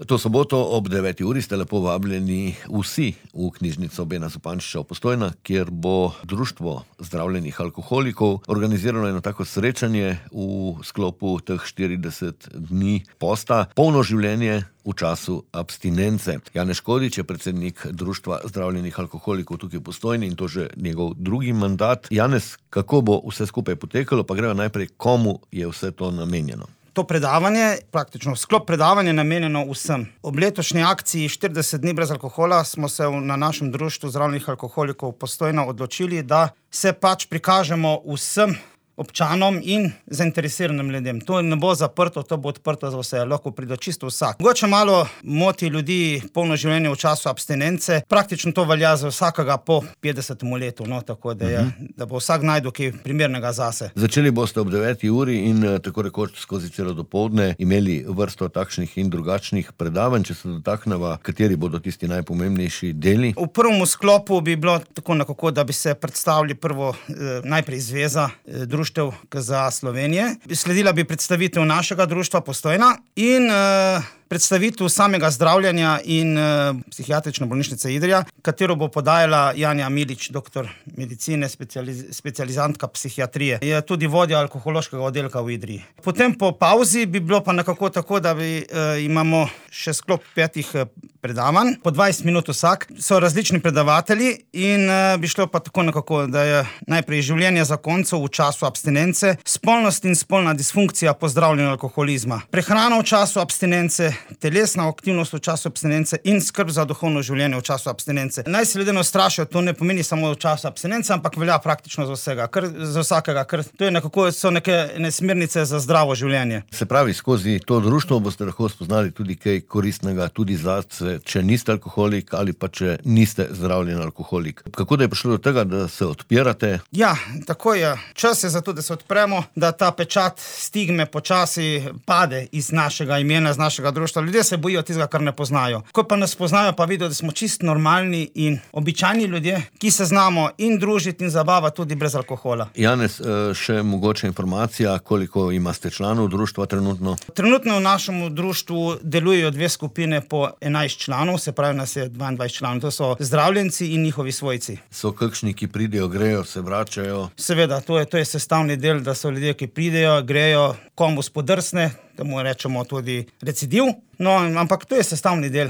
To soboto ob 9. uri ste lepo vabljeni vsi v knjižnico Bena Zupančiča v Postojnah, kjer bo Društvo zdravljenih alkoholikov organiziralo eno tako srečanje v sklopu teh 40 dni posta, polno življenje v času abstinence. Janez Škodič je predsednik Društva zdravljenih alkoholikov tukaj v Postojni in to že njegov drugi mandat. Janez, kako bo vse skupaj potekalo, pa gremo najprej, komu je vse to namenjeno? To predavanje, praktično sklop predavanja, namenjeno vsem. Ob letošnji akciji 40 dni brez alkohola smo se na našem Društvu zdravljenih alkoholikov Postojna odločili, da se prikažemo vsem občanom in zainteresiranim ljudem. To ne bo zaprto, to bo odprto za vse, lahko pride čisto vsak. Mogoče malo moti ljudi polno življenje v času abstinence, praktično to velja za vsakega po 50. letu, tako da bo vsak najdel kaj primernega zase. Začeli boste ob 9. uri in tako rekoč skozi celo dopoldne imeli vrsto takšnih in drugačnih predavanj. Če se dotakneva, kateri bodo tisti najpomembnejši deli? V prvem sklopu bi bilo tako nekako, da bi se predstavili prvo najprej Zveza društev KZA Slovenije. Sledila bi predstavitev našega društva Postojna in predstavitev samega zdravljenja in psihiatrične bolnišnice Idrija, katero bo podajala Janja Milič, doktor medicine, specializantka psihiatrije. Je tudi vodja alkohološkega oddelka v Idriji. Potem po pauzi bi bilo pa nekako tako, da imamo še sklop 5 predavanj, po 20 minut vsak. So različni predavatelji in bi šlo pa tako nekako, da je najprej življenje zakoncev v času abstinence, spolnost in spolna disfunkcija po zdravljenju alkoholizma, prehrana v času abstinence, telesna aktivnost v času abstinence in skrb za duhovno življenje v času abstinence. Naj se ljudje ne ustrašijo, to ne pomeni samo v času abstinence, ampak velja praktično za vsakega, ker to je nekako, so neke smernice za zdravo življenje. Se pravi, skozi to društvo boste lahko spoznali tudi kaj koristnega, tudi zase, če niste alkoholik ali pa če niste zdravljen alkoholik. Kako da je prišlo do tega, da se odpirate? Ja, tako je. Čas je za to, da se odpremo, da ta pečat stigme počasi pade iz našega imena, iz našega društva. Ljudje se bojijo tistega, kar ne poznajo. Ko pa nas poznajo, pa vidijo, da smo čisto normalni in običajni ljudje, ki se znamo in družiti in zabavati tudi brez alkohola. Janez, še mogoče informacija, koliko imate članov društva trenutno? Trenutno v našem društvu delujejo 2 skupine po 11 članov, se pravi, nas je 22 članov. To so zdravljenci in njihovi svojci. So kakšni, ki pridejo, grejo, se vračajo? Seveda, to je sestavni del, da so ljudje, ki pridejo, grejo, komu spodrsne, da mu rečemo tudi recidiv. No, ampak to je sestavni del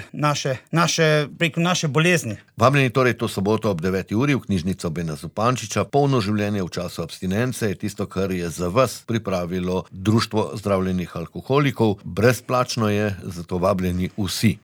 naše bolezni. Vabljeni torej to soboto ob 9. uri v knjižnico Bena Zupančiča. Polno življenje v času abstinence je tisto, kar je za vas pripravilo Društvo zdravljenih alkoholikov. Brezplačno je, zato vabljeni vsi.